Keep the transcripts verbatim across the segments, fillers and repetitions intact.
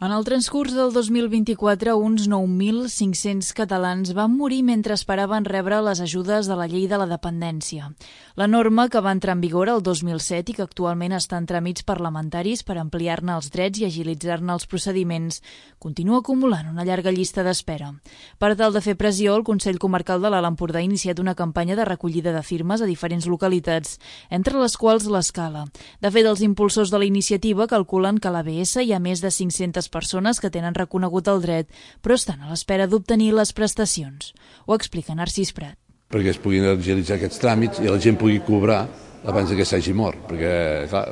En el transcurs del dos mil vint-i-quatre, uns nou mil cinc-cents catalans van morir mentre esperaven rebre les ajudes de la llei de la dependència. La norma, que va entrar en vigor el dos mil set i que actualment està en tràmits parlamentaris per ampliar-ne els drets i agilitzar-ne els procediments, continua acumulant una llarga llista d'espera. Per tal de fer pressió, el Consell Comarcal de l'Alt Empordà ha iniciat una campanya de recollida de firmes a diferents localitats, entre les quals l'Escala. De fet, els impulsors de la iniciativa calculen que a l'A B S hi ha més de cinc-centes persones que tenen reconegut el dret, però estan a l'espera d'obtenir les prestacions. Ho explica Narcís Prat. Perquè es puguin agilitzar aquests tràmits i la gent pugui cobrar abans que s'hagi mort, perquè clar,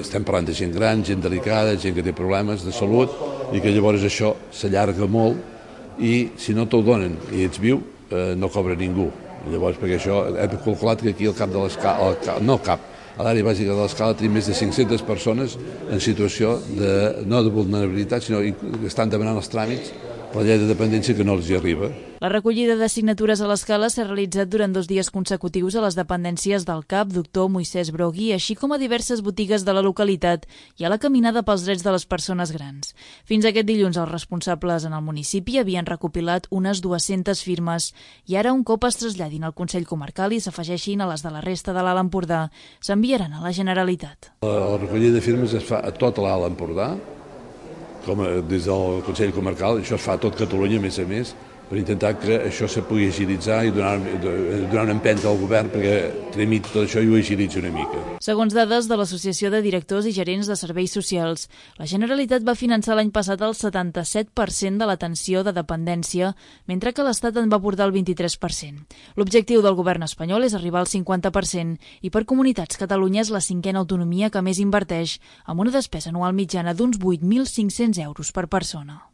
estem parlant de gent gran, gent delicada, gent que té problemes de salut i que llavors això s'allarga molt i si no te'l donen i ets viu eh, no cobra ningú. Llavors, perquè això hem calculat que aquí al cap de l'Escala, no al cap, a l'àrea bàsica de l'Escala tenim més de cinc-centes persones en situació de, no de vulnerabilitat, sinó que estan demanant els tràmits per la llei de dependència que no els hi arriba. La recollida de signatures a l'Escala s'ha realitzat durant dos dies consecutius a les dependències del C A P, doctor Moisès Brogui, així com a diverses botigues de la localitat i a la caminada pels drets de les persones grans. Fins aquest dilluns els responsables en el municipi havien recopilat unes dues-centes firmes i ara, un cop es traslladin al Consell Comarcal i s'afegeixin a les de la resta de l'Alt Empordà, s'enviaran a la Generalitat. La recollida de firmes es fa a tot l'Alt Empordà, com a, des del Consell Comarcal, això es fa a tot Catalunya, a més a més, per intentar que això se pugui agilitzar i donar, donar una empenta al govern perquè tramiti tot això i ho agilitzi una mica. Segons dades de l'Associació de Directors i Gerents de Serveis Socials, la Generalitat va finançar l'any passat el setanta-set per cent de l'atenció de dependència, mentre que l'Estat en va aportar el vint-i-tres per cent. L'objectiu del govern espanyol és arribar al cinquanta per cent i per comunitats Catalunya és la cinquena autonomia que més inverteix, amb una despesa anual mitjana d'uns vuit mil cinc-cents euros per persona.